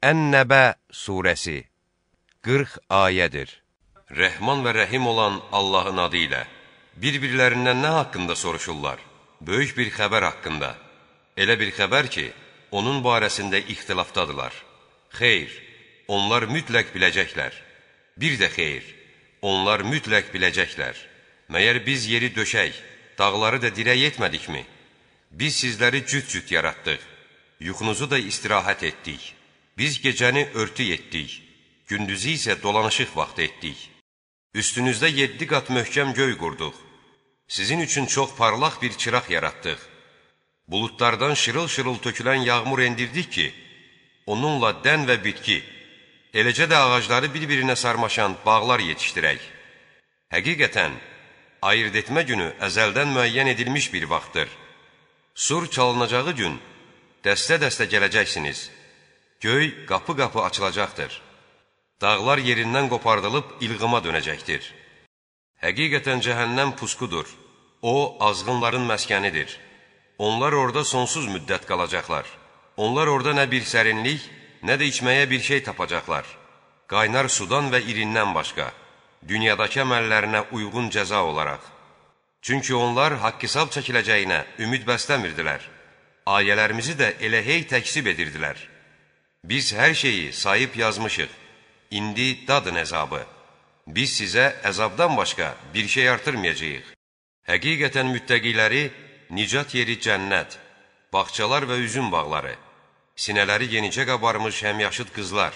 Ən-Nəbə surəsi 40 ayədir. Rəhman və rəhim olan Allahın adı ilə. Bir-birlərindən nə haqqında soruşurlar? Böyük bir xəbər haqqında. Elə bir xəbər ki, onun barəsində ixtilafdadılar. Xeyr, onlar mütləq biləcəklər. Bir də xeyr, onlar mütləq biləcəklər. Məyər biz yeri döşək, dağları da dirək etmədikmi? Biz sizləri cüt-cüt yaratdıq. Yuxunuzu da istirahət etdik. Biz gecəni örtü etdik. Gündüzü isə dolanışıq vaxtı etdik. Üstünüzdə 7 qat möhkəm göy qurduq. Sizin üçün çox parlaq bir çıraq yaratdıq. Buludlardan şırıl-şırıl tökülən yağmur endirdik ki, onunla dən və bitki, eləcə də ağacları bir-birinə sarmaşan bağlar yetişdirək. Həqiqətən, ayırt etmə günü əzəldən müəyyən edilmiş bir vaxtdır. Sur çalınacağı gün dəstə-dəstə gələcəksiniz. Göy qapı-qapı açılacaqdır. Dağlar yerindən qopardılıb ilğıma dönəcəkdir. Həqiqətən cəhənnəm pusqudur. O, azğınların məskənidir. Onlar orada sonsuz müddət qalacaqlar. Onlar orada nə bir sərinlik, nə də içməyə bir şey tapacaqlar. Qaynar sudan və irindən başqa, dünyadakı əməllərinə uyğun cəza olaraq. Çünki onlar haqq-hesab çəkiləcəyinə ümid bəsləmirdilər. Ayələrimizi də elə hey təksib edirdilər. Biz hər şeyi sayıb yazmışıq. İndi dadın əzabı. Biz sizə əzabdan başqa bir şey artırmayacağıq. Həqiqətən müttəqiləri nicat yeri cənnət, bağçalar və üzüm bağları, sinələri yenicə qabarmış həmyaşıd qızlar,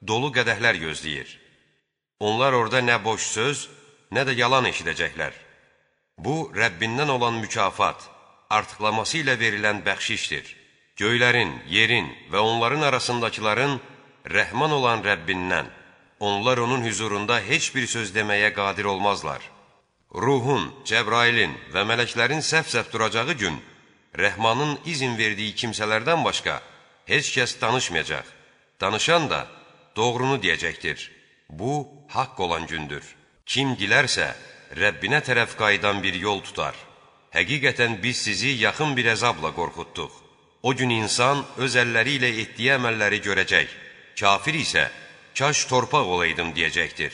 dolu qədəhlər gözləyir. Onlar orada nə boş söz, nə də yalan eşidəcəklər. Bu, Rəbbindən olan mükafat, artıqlaması ilə verilən bəxşişdir. Göylərin, yerin və onların arasındakıların Rəhman olan Rəbbindən, onlar onun hüzurunda heç bir söz deməyə qadir olmazlar. Ruhun, Cəbrailin və mələklərin səf-səf duracağı gün, Rəhmanın izin verdiyi kimsələrdən başqa heç kəs danışmayacaq. Danışan da doğrunu deyəcəkdir. Bu, haqq olan gündür. Kim dilərsə, Rəbbinə tərəf qayıdan bir yol tutar. Həqiqətən biz sizi yaxın bir əzabla qorxutduq. O gün insan öz əlləri ilə etdiyi əməlləri görəcək. Kafir isə, kaş torpaq olaydım deyəcəkdir.